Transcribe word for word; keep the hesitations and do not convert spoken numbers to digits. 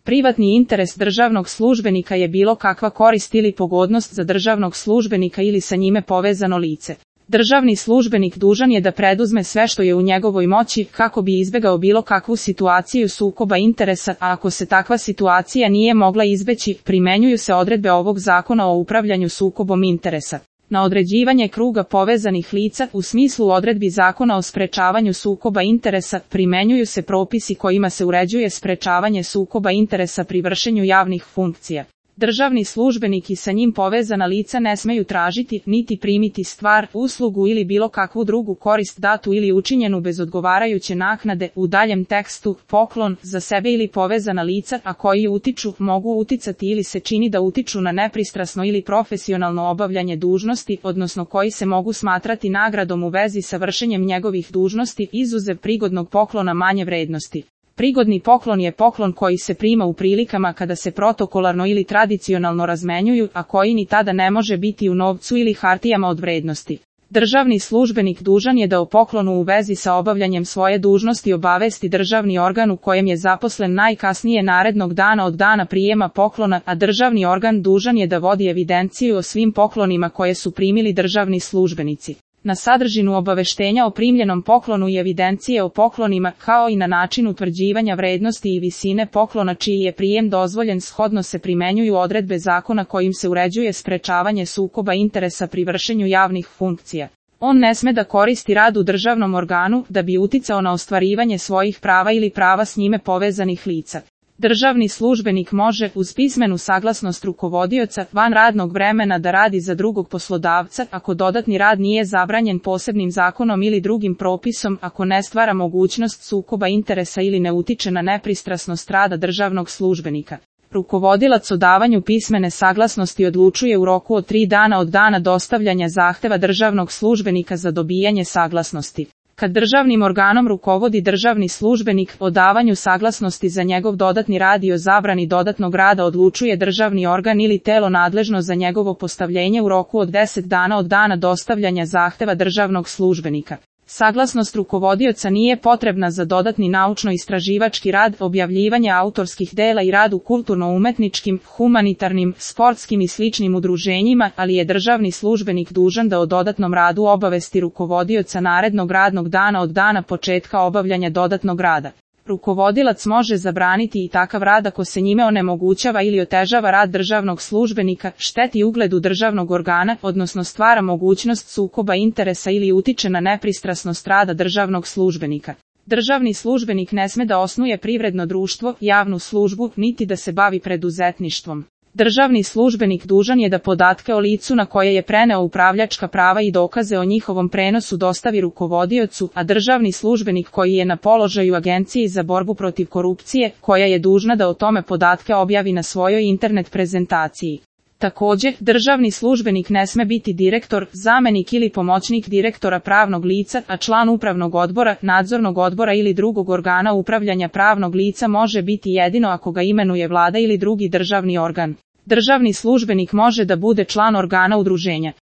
Privatni interes državnog službenika je bilo kakva korist ili pogodnost za državnog službenika ili sa njime povezano lice. Državni službenik dužan je da preduzme sve što je u njegovoj moći kako bi izbegao bilo kakvu situaciju sukoba interesa, a ako se takva situacija nije mogla izbeći, primenjuju se odredbe ovog zakona o upravljanju sukobom interesa. Na određivanje kruga povezanih lica u smislu odredbi zakona o sprečavanju sukoba interesa primenjuju se propisi kojima se uređuje sprečavanje sukoba interesa pri vršenju javnih funkcija. Državni službenik i sa njim povezana lica ne smeju tražiti, niti primiti stvar, uslugu ili bilo kakvu drugu korist datu ili učinjenu bez odgovarajuće naknade, u daljem tekstu, poklon, za sebe ili povezana lica, a koji utiču, mogu uticati ili se čini da utiču na nepristrasno ili profesionalno obavljanje dužnosti, odnosno koji se mogu smatrati nagradom u vezi sa vršenjem njegovih dužnosti, izuzev prigodnog poklona manje vrednosti. Prigodni poklon je poklon koji se prima u prilikama kada se protokolarno ili tradicionalno razmenjuju, a koji ni tada ne može biti u novcu ili hartijama od vrednosti. Državni službenik dužan je da o poklonu u vezi sa obavljanjem svoje dužnosti obavesti državni organ u kojem je zaposlen najkasnije narednog dana od dana prijema poklona, a državni organ dužan je da vodi evidenciju o svim poklonima koje su primili državni službenici. Na sadržinu obaveštenja o primljenom poklonu i evidencije o poklonima, kao i na način utvrđivanja vrednosti i visine poklona čiji je prijem dozvoljen shodno se primenjuju odredbe zakona kojim se uređuje sprečavanje sukoba interesa pri vršenju javnih funkcija. On ne sme da koristi rad u državnom organu da bi uticao na ostvarivanje svojih prava ili prava s njime povezanih lica. Državni službenik može, uz pismenu saglasnost rukovodioca, van radnog vremena da radi za drugog poslodavca, ako dodatni rad nije zabranjen posebnim zakonom ili drugim propisom, ako ne stvara mogućnost sukoba interesa ili ne utiče na nepristrasnost rada državnog službenika. Rukovodilac o davanju pismene saglasnosti odlučuje u roku od tri dana od dana dostavljanja zahteva državnog službenika za dobijanje saglasnosti. Kad državnim organom rukovodi državni službenik, o davanju saglasnosti za njegov dodatni rad i o zabrani dodatnog rada odlučuje državni organ ili telo nadležno za njegovo postavljenje u roku od deset dana od dana dostavljanja zahteva državnog službenika. Saglasnost rukovodioca nije potrebna za dodatni naučno-istraživački rad, objavljivanje autorskih dela i rad u kulturno-umetničkim, humanitarnim, sportskim i sličnim udruženjima, ali je državni službenik dužan da o dodatnom radu obavesti rukovodioca narednog radnog dana od dana početka obavljanja dodatnog rada. Rukovodilac može zabraniti i takav rad ako se njime onemogućava ili otežava rad državnog službenika, šteti ugledu državnog organa, odnosno stvara mogućnost sukoba interesa ili utiče na nepristrasnost rada državnog službenika. Državni službenik ne sme da osnuje privredno društvo, javnu službu, niti da se bavi preduzetništvom. Državni službenik dužan je da podatke o licu na koje je preneo upravljačka prava i dokaze o njihovom prenosu dostavi rukovodiocu, a državni službenik koji je na položaju Agenciji za borbu protiv korupcije, koja je dužna da o tome podatke objavi na svojoj internet prezentaciji. Također, državni službenik ne sme biti direktor, zamenik ili pomoćnik direktora pravnog lica, a član upravnog odbora, nadzornog odbora ili drugog organa upravljanja pravnog lica može biti jedino ako ga imenuje vlada ili drugi državni organ. Državni službenik može da bude član organa udruženja.